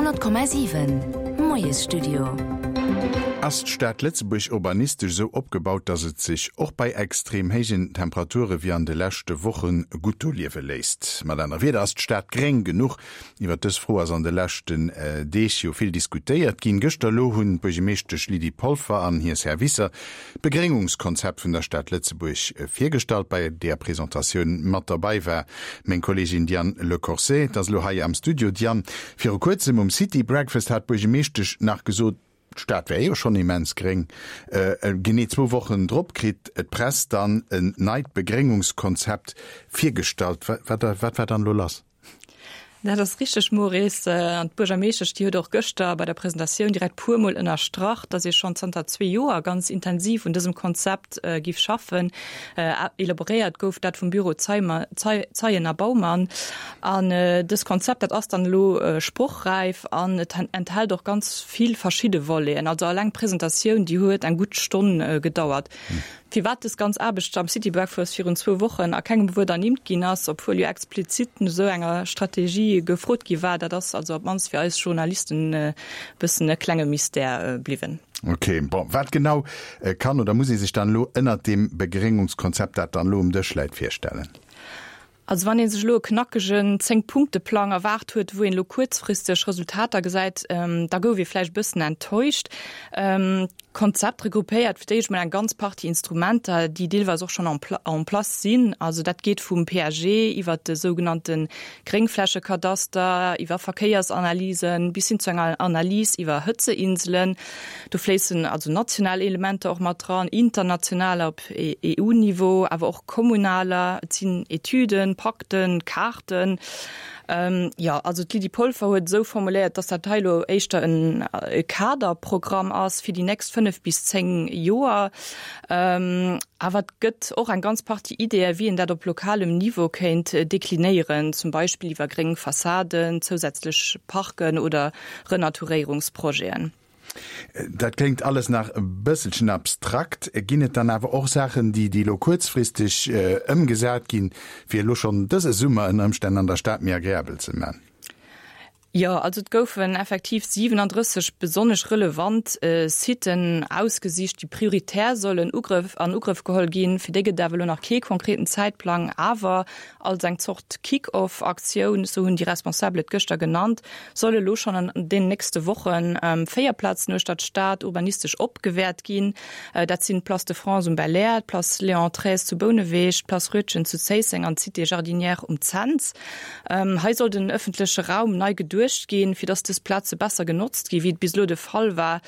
100,7 Moiesstudio. Ass d'Stad Lëtzebuerg urbanistesch esou opgebaut, datt et sech och bei extrem héijen Temperature wéi an de leschte Woche gutt do liewe léisst? Mat anere Wierder, ass d'Stad gréng genuch? Iwwer dës Fro ass an de leschten Deeg jo vill diskutéiert ginn. Gëschter elo hunn d'Buergemeeschtesch Lydie Polfer an hir Servicer D'Begréngungskonzept vun der Stad Lëtzebuerg virgestallt. Bei deeër Presentatioun mat derbei war meng Kolleegin Diane Le Corset. Et ass elo hei am Studio. Diane, viru kuerzem um City Breakfast hat d'Buergemeeschtesch nach gesot, d'Stad wär jo schonn immens gréng. Genee zwou Wochen drop kritt d'Press dann en neit Begréngungskonzept virgestallt. Wat war dann elo lass? Dat ass richteg, Maurice. An d'Buergermeeschtesch, déi huet och gëschter bei der Presentatioun direkt puermol ënnerstrach, datt ee schonn zanter zwee Joer ganz intensiv un dësem Konzept giff schaffen. Elaboréiert gouf dat vum Büro Zeyen a Baumann. An dëst Konzept, dat ass dann elo sprochräif an et enthält och ganz vill verschidde Voleten. Also alleng d'Presentatioun, déi huet eng gutt Stonn gedauert. Firwat dës ganz Aarbecht am City Breakfast virun zwou Wochen a kengem Wuert ernimmt ginn ass, obwuel jo explizit no esou enger Strategie gefrot gi war, dat ass also op d'mannst fir eis Journalisten e bëssen e klenge Mystère bliwwen. Ok, bon, wat genau kann oder muss ee sech dann elo ënnert deem Begréngungskonzept, dat dann elo um Dësch läit, virstellen? Also wann ee sech elo e knackegen Zéng-Punkte-Plang erwaart huet, wou een elo kuerzfristeg Resultater gesäit, da gouf ee vläicht e bëssen enttäuscht. D'Konzept regroupéiert fir d'éischt mol eng ganz Partie Instrumenter, déi deelweis och schonn en place sinn. Also dat geet vum PAG iwwert de sougenannte Gréngflächekadaster, iwwer Verkéiersanalysen bis hin zu enger Analys iwwer Hëtzeinselen. Do fléissen also national Elementer och mat dran, internationaler op EU-Niveau, awer och kommunaler. Et sinn Etüden, Pakten, Kaarten. Jo, also d'Lydie Polfer huet esou formuléiert, dass dat hei elo éischter e Kaderprogramm ass fir déi nächst 5 bis 10 Joer. Awer et gëtt och eng ganz Partie Ideeë, wéi een dat op lokalem Niveau kéint deklinéieren, zum Beispill iwwer gréng Fassaden, zousätzlech Parken oder Renaturéierungsprojeten. Dat kléngt alles nach e bësselchen abstrakt. Ginn et dann awer och Saachen, déi déi elo kuerzfristeg ëmgesat ginn, fir elo schonn dëse Summer ënner Ëmstänn an der Stad méi agreabel ze man? Jo, also et goufen effektiv 37 besonnesch relevant Siten ausgesicht, déi prioritär sollen Ugrëff an Ugrëff geholl ginn. Fir déi gëtt et awer elo nach kee konkreten Zäitplang. Awer als eng Zort Kick-off-Aktioun, esou hunn déi Responsabel et gëschter genannt, soll elo schonn an den nächste Woche 4 Plazen uechter d'Stad urbanistesch opgewäert ginn. Dat sinn d'Place de France um Belair, d'Place Léon Treize zu Bouneweg, d'Place Roetgen zu Zéisseng an d'Cité Jardinière um Cents. Hei soll den ëffentleche Raum nei geduecht ginn, fir datt dës Plaze besser genotzt ginn, wéi et bis elo de Fall war.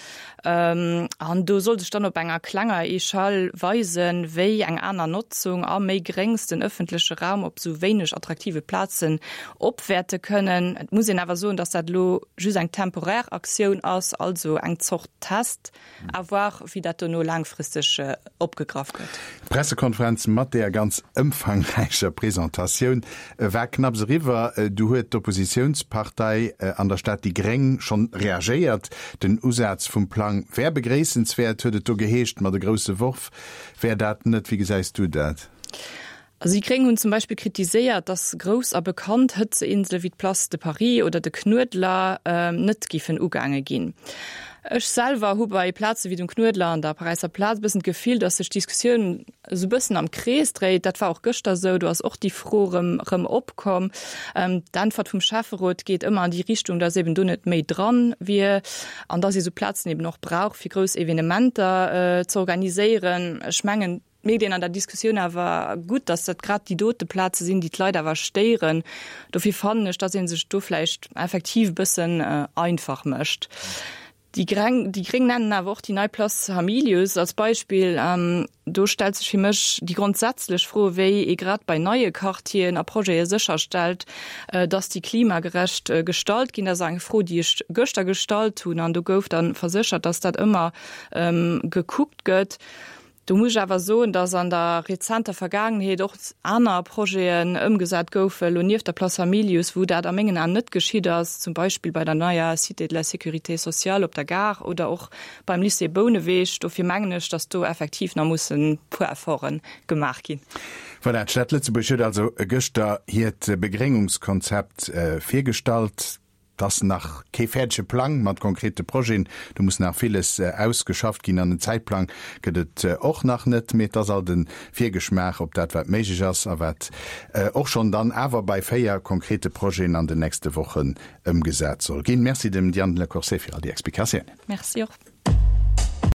An do soll sech dann op enger klenger Echelle weisen, wéi eng aner Notzung a méi Gréngs den ëffentleche Raum op esou wéineg attraktive Plazen opwäerte kënnen. Et muss een awer soen, datt dat elo just eng temporär Aktioun ass, also eng Zort Test. À voir, wéi dat dono laangfristeg opgegraff gëtt. D'Pressekonferenz mat deeër ganz ëmfangräicher Presentatioun war knapps eriwwer, du huet d'Oppositiounspartei an der Stad déi Gréng schonn reagéiert. Den Usaz vum Plang wär begréissenswäert, huet et do geheescht, ma de grousse Worf wär dat net. Wéi gesäis du dat? Also déi Gréng hunn zum Beispill kritiséiert, datt grouss a bekannt Hëtzeinsele wéi d'Place de Paris oder de Knuedler net giffen ugaange ginn. Ech selwer hu bei Plaze wéi dem Knuedler an der Paräisser Plaz e bëssen d'Gefill, datt sech d'Diskussioun esou e bëssen am Krees dréit. Dat war och gëschter esou, do ass och déi Fro erëm erëm opkomm. D'Äntwert vum Schäfferot geet ëmmer an déi Richtung, datt eben do net méi dran wier an datt ee sou Plazen eben och brauch, fir grouss Evenementer ze organiséieren. Ech mengen, Et mierkt een an der Diskussioun awer gutt, dass dat grad déi dote Plaze sinn, déi d'Leit awer stéieren. Dofir fannen ech, dass ee sech do vläicht effektiv e bëssen einfach mécht. Déi Greng, déi Gréng nennen awer och déi nei Place Hamilius als Beispill. Do stellt sech fir mech déi grondsätzlech Fro, wéi ee grad bei neie Quartieren a Projete sécherstellt, dass déi klimagerecht gestalt ginn. Dat ass eng Fro, déi ech gëschter gestallt hunn an do gouf da verséchert, dass dat ëmmer gekuckt gëtt. Do muss ech awer soen, dass an der rezenter Vergaangenheet och aner Projeten ëmgesat goufen, elo nieft der Place Hamilius, wou dat a mengen Aen net geschitt ass, zum Beispill bei der neier Cité de la Sécurité sociale op der Gare oder och beim Lycée Bouneweg. Dofir mengen ech, dass do effektiv nach mussen e puer Efforte gemaach ginn. Voilà, d'Stad Lëtzebuerg huet also gëschter hiert Begréngungskonzept virgestallt. Et ass nach kee fäerdege Plang mat konkrete Projeten, do muss nach villes ausgeschafft ginn an en Zäitplang gëtt et och nach net. Mee et ass alt e Virgeschmaach op dat, wat méiglech ass a wat och schonn dann awer bei 4 konkrete Projeten an den nächste Wochen ëmgesat soll ginn. Merci dem Diane Le Corset fir all déi Explikatiounen. Merci och.